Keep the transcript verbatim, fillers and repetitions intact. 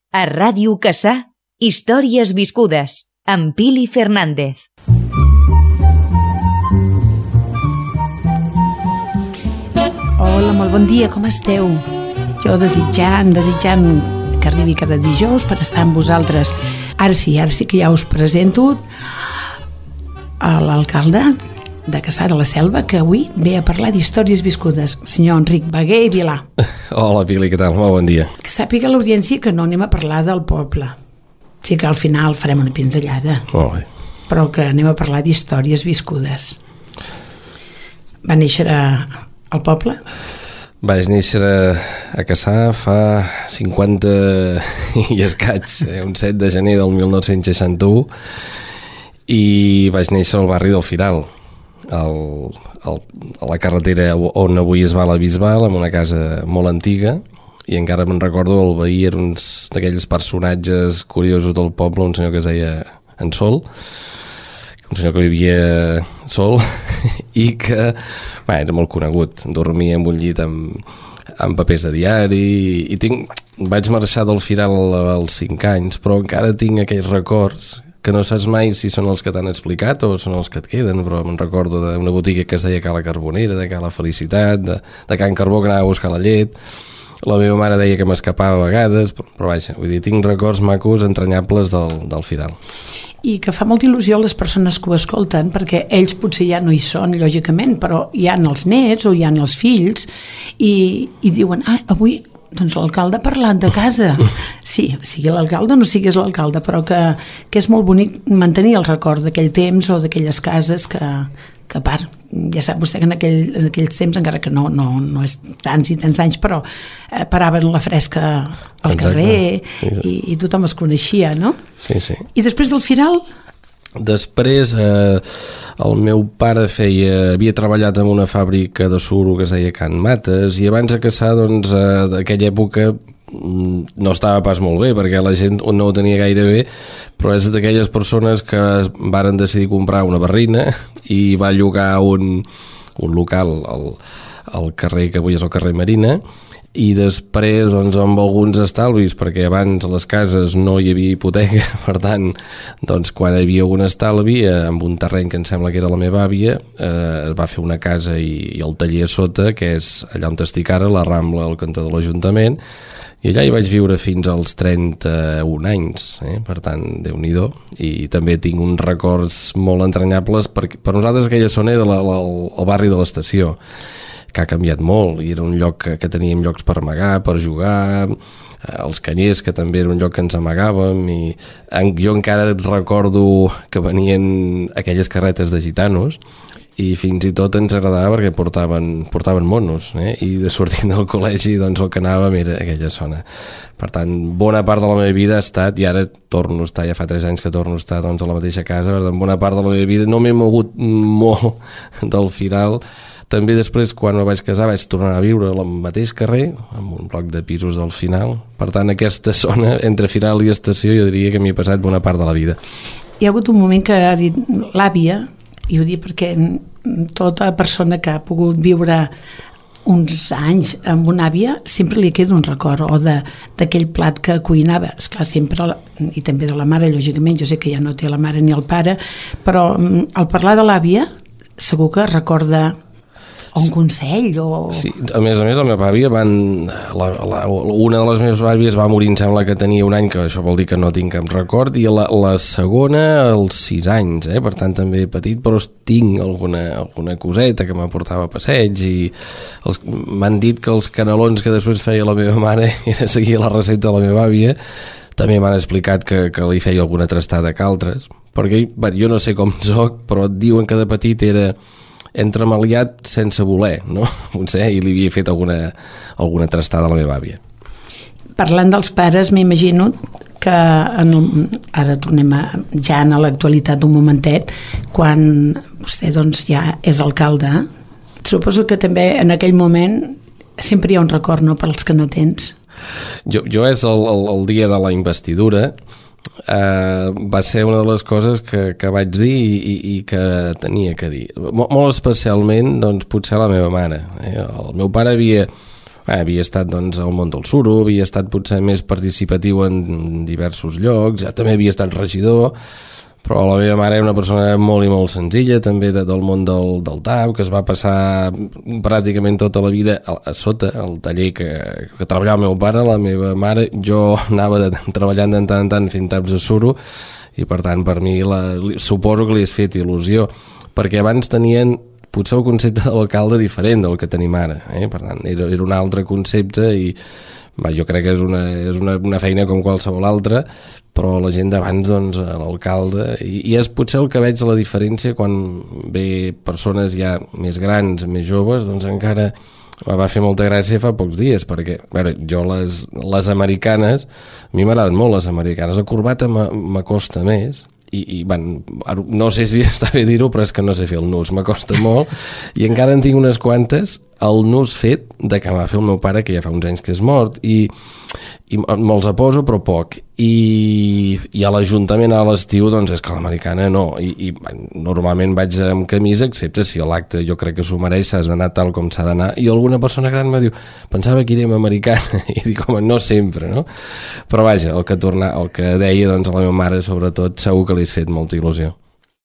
A Ràdio Cassà, històries viscudes, amb Pili Fernández. Hola, molt bon dia, com esteu? Jo desitjant, desitjant que arribi cada dijous per estar amb vosaltres. Ara sí, ara sí que ja us presento a l'alcalde de Cassà de la Selva, que avui ve a parlar d'històries viscudes, senyor Enric Bagué i Vilà. Hola, Pili, què tal? Molt bon dia. Que sàpiga l'audiència que no anem a parlar del poble. Sí que al final farem una pinzellada. Molt bé. Però que anem a parlar d'històries viscudes. Va néixer al poble? Vaig néixer a Cassà fa cinquanta i escaig, eh? un set de gener del mil nou-cents seixanta-u, i vaig néixer al barri del Firal, al, al, a la carretera on avui es va la Bisbal, en una casa molt antiga, i encara me'n recordo, el veí era un d'aquells personatges curiosos del poble, un senyor que es deia en Sol, un senyor que vivia sol i que bé, era molt conegut, dormia en un llit amb, amb papers de diari, i tinc, vaig marxar del Firal als cinc anys, però encara tinc aquells records que no saps mai si són els que t'han explicat o són els que et queden, però me'n recordo d'una botiga que es deia Cala Carbonera, de Cala Felicitat, de, de Can Carbó, que anava a buscar la llet. La meva mare deia que m'escapava a vegades, però, però vaja, vull dir, tinc records macos, entranyables del, del Firal. I que fa molta il·lusió a les persones que ho escolten, perquè ells potser ja no hi són, lògicament, però hi ha els nets o hi ha els fills, i, i diuen, ah, avui doncs l'alcalde ha parlat de casa. Sí, sigui l'alcalde o no siguis l'alcalde, però que, que és molt bonic mantenir el record d'aquell temps o d'aquelles cases que, que a part, ja sap vostè que en, aquell, en aquells temps, encara que no, no, no és tants i tants anys, però eh, paraven la fresca al Exacte. carrer Sí, sí. i, i tothom es coneixia, no? Sí, sí. I després del Firal? Després, eh, el meu pare feia, havia treballat en una fàbrica de suro que es deia Can Mates, i abans a Cassà, doncs, eh, d'aquella època no estava pas molt bé, perquè la gent no ho tenia gaire bé, però és d'aquelles persones que varen decidir comprar una barrina i va llogar un, un local al, al carrer que avui és el carrer Marina, i després doncs, amb alguns estalvis, perquè abans a les cases no hi havia hipoteca, per tant, doncs, quan hi havia un estalvi, eh, amb un terreny que em sembla que era la meva àvia, eh, va fer una casa i, i el taller a sota, que és allà on estic ara, la Rambla, al cantó de l'Ajuntament, i allà hi vaig viure fins als trenta-un anys, eh? Per tant, Déu-n'hi-do, i també tinc uns records molt entranyables, perquè per nosaltres aquella zona era la, la, el barri de l'estació, que ha canviat molt, i era un lloc que, que teníem llocs per amagar, per jugar, els Canyers, que també era un lloc que ens amagàvem, i en, jo encara recordo que venien aquelles carretes de gitanos, i fins i tot ens agradava perquè portaven, portaven monos, eh? I de sortint del col·legi doncs el que anàvem era aquella zona. Per tant, bona part de la meva vida ha estat, i ara torno a estar, ja fa tres anys que torno a estar doncs, a la mateixa casa, per tant, bona part de la meva vida no m'he mogut molt del Firal. També després, quan me vaig casar, vaig tornar a viure al mateix carrer, amb un bloc de pisos al final. Per tant, aquesta zona, entre Firal i estació, jo diria que m'hi he passat bona part de la vida. Hi ha hagut un moment que ha dit l'àvia, i ho dic perquè tota persona que ha pogut viure uns anys amb una àvia sempre li queda un record o d'aquell plat que cuinava, esclar, sempre, i també de la mare, lògicament, jo sé que ja no té la mare ni el pare, però al parlar de l'àvia segur que recorda un consell o... Sí, a més a més la meva àvia van... La, la, una de les meves àvies va morir, em sembla que tenia un any, que això vol dir que no tinc cap record, i la, la segona als sis anys, eh? Per tant també petit, però tinc alguna, alguna coseta que m'aportava a passeig, i els, m'han dit que els canelons que després feia la meva mare era seguir la recepta de la meva àvia. També m'han explicat que, que li feia alguna trastada que altres, perquè bé, jo no sé com soc, però et diuen que de petit era entremaliat sense voler, no? Potser, i li havia fet alguna, alguna trastada a la meva àvia. Parlant dels pares, m'imagino que en el, ara tornem a, ja a l'actualitat un momentet, quan vostè doncs, ja és alcalde, suposo que també en aquell moment sempre hi ha un record, no?, per als que no tens. Jo, jo és el, el, el dia de la investidura, Uh, va ser una de les coses que, que vaig dir i, i que tenia que dir. Molt, molt especialment, doncs, potser la meva mare. Eh? El meu pare havia, Bé, havia estat doncs, al món del suro, havia estat potser més participatiu en diversos llocs, ja també havia estat regidor, però la meva mare era una persona molt i molt senzilla, també de, del món del, del T A U, que es va passar pràcticament tota la vida a, a sota, al taller que, que treballava el meu pare, la meva mare. Jo anava de, treballant de tant en tant fent taps de suro, i per tant per mi la, suposo que li has fet il·lusió, perquè abans tenien potser el concepte de l'alcalde diferent del que tenim ara, eh? Per tant era, era un altre concepte i va, jo crec que és, una, és una, una feina com qualsevol altra, però la gent d'abans, doncs, l'alcalde, i, i és potser el que veig la diferència quan ve persones ja més grans, més joves, doncs encara va fer molta gràcia fa pocs dies, perquè, a veure, jo les, les americanes, a mi m'agraden molt les americanes, la corbata m'acosta més, i, i van, no sé si està bé dir-ho, però és que no sé fer el nus, m'acosta molt, i encara en tinc unes quantes, el nus fet de que va fer el meu pare, que ja fa uns anys que és mort, i, i me'ls poso, però poc, i, i a l'Ajuntament a l'estiu, doncs és que l'americana no, i, i normalment vaig amb camisa, excepte si a l'acte jo crec que s'ho mereix, s'has d'anar tal com s'ha d'anar, i alguna persona gran me diu, pensava que érem americana, i dic, home, no sempre, no? Però vaja, el que, torna, el que deia doncs, a la meva mare, sobretot, segur que li has fet molta il·lusió.